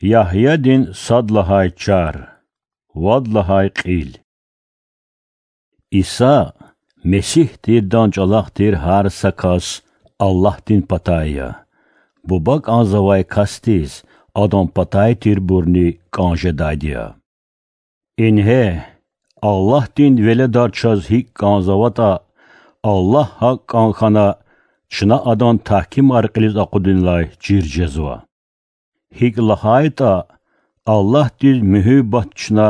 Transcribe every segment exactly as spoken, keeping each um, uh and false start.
Ягьядин сад лагьай чар, вад лагьай кьил. Иса Месигь тирдан чӀалахъ тир гьар са кас Аллагьдин патай я. Буба кӀанзавай касдиз Адан патай тирбурни кӀан жедайди я. Ингье, Аллагьдин веледар чаз гьикӀ кӀанзаватӀа, Аллагь гьакӀ кӀан хьана, чна Адан тагькимар кьилиз акъудунилай чир жезва. ГьикӀ лагьайтӀа, Аллагьдиз муьгьуьббат чна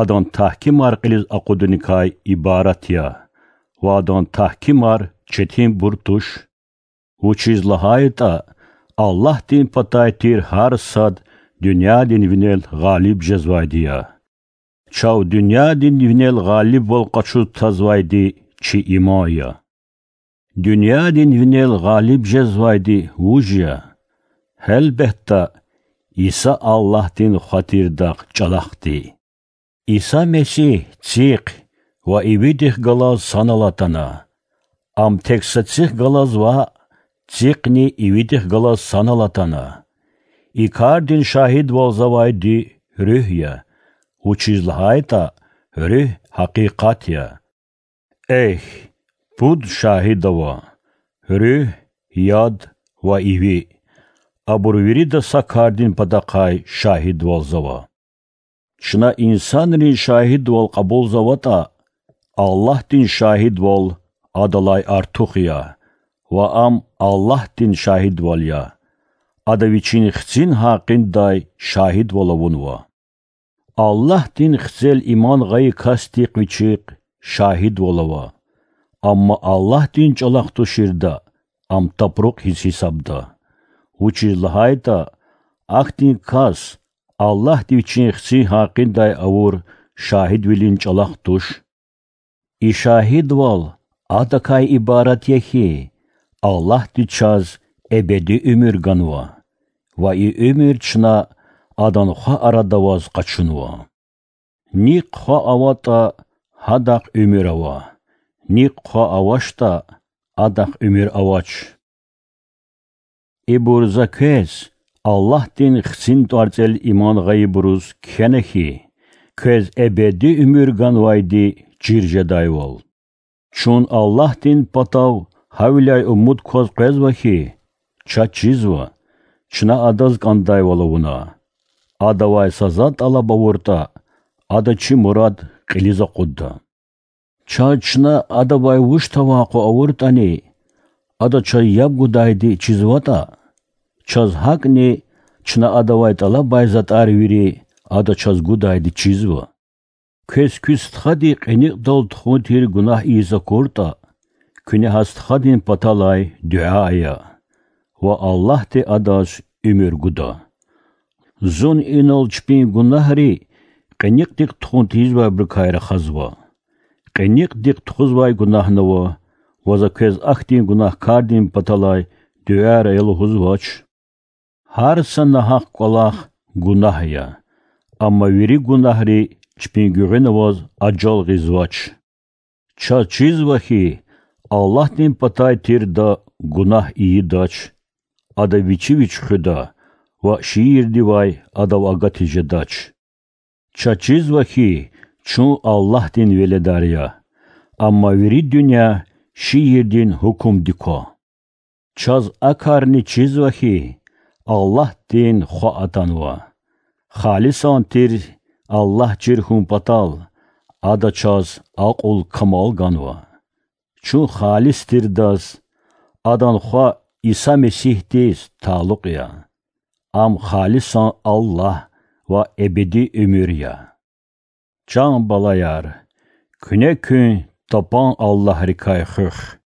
Адан тагькимар кьилиз акъудуникай ибарат я, ва Адан тагькимар четинбур туш. Вучиз лагьайтӀа Аллагьдин патай тир гьар сад дуьньядин винел гъалиб жезвайди я. Чав дуьньядин винел гъалибвал къачуз тазвайди чи иман я. Дуьньядин винел гъалиб жезвайди вуж я? Гьелбетда, Иса Аллагьдин Хва тирдахъ чӀалахъди. Иса Месигь цихъ ва ивидихъ галаз санал атана. Ам тек са цихъ галаз ваъ, цихъни ивидихъ галаз санал атана. И кардин шагьидвалзавайди Руьгь я, вучиз лагьайтӀа Руьгь гьакъикъат я. Эхь, пуд шагьид ава: Руьгь, яд ва иви. Абур вирида са кардин патахъай шагьидвалзава. Чна инсанрин шагьидвал кьабулзаватӀа, Аллагьдин шагьидвал адалай артух я, ва ам Аллагьдин шагьидвал я. Ада Вичин Хцин гьакъиндай шагьидвал авунва. Аллагьдин Хцел иман гъайи касдихъ Вичихъ шагьидвал ава, амма Аллагьдин чӀалахъ туширда ам тапрукь хьиз гьисабда. Вучиз лагьайтӀа ахьтин кас Аллагьди Вичин Хцин гьакъиндай авур шагьидвилин чӀалахъ туш. И шагьидвал адакай ибарат я хьи, Аллагьди чаз эбеди уьмуьр ганва, ва и уьмуьр чна Адан Хва арада аваз къачунва. Нихъ Хва аватӀа, гьадахъ уьмуьр ава, нихъ Хва авачтӀа, адахъ уьмуьр авач. Ибур за квез, Аллагьдин Хцин тӀварцӀел иман гъайибуруз кхьена хьи, квез эбеди уьмуьр ганвайди чир жедайвал. Чун Аллагьдин патав гьавиляй умуд кваз къвезва хьи, чаз чизва, чна Адаз кӀандайвал авуна. Адавай са затӀ тӀалаб авуртӀа, Ада чи мурад кьилиз акъудда. Чаз чна Адавай вуч тавакъу авуртӀани, Ада чаз яб гудайди чизватӀа, чаз гьакӀни чна Адавай тӀалабай затӀар вири Ада чаз гудайди чизва. Квез куь стхади кьиникьдал тухун тир гунагь ийиз акуртӀа, куьне гьа стхадин паталай дуьа ая, ва Аллагьди адаз уьмуьр гуда. Зун инал чпин гунагьри кьиникьдихъ тухун тийизвайбурукай рахазва. Кьиникьдихъ тухузвай гунагьни ава, ва за квез ахьтин гунагькардин паталай дуьаяр ая лугьузвач. Гьар са нагьахъ кӀвалах гунагь я, амма вири гунагьри чпин гуьгъуьна аваз ажал гъизвач. Чаз чизва хьи, Аллагьдин патай тирда гунагь ийидач, ада вичи вич хуьда ва шиирдивай адав агатиз жедач. Чаз чизва хьи, чун Аллагьдин веледар я, амма вири дуьнья шиирдин гьукумдик ква. Чаз а карни чизва хьи, Аллагьдин Хва атанва. Халисан тир Аллагь чир хьун патал, Ада чаз акьул-камал ганва. Чун халис тирдаз, Адан Хва Иса Месигьдиз талукь я. Ам халисан Аллагь ва эбеди уьмуьр я. Чан балаяр, куьне куьн тапан аллагьрикай хуьх.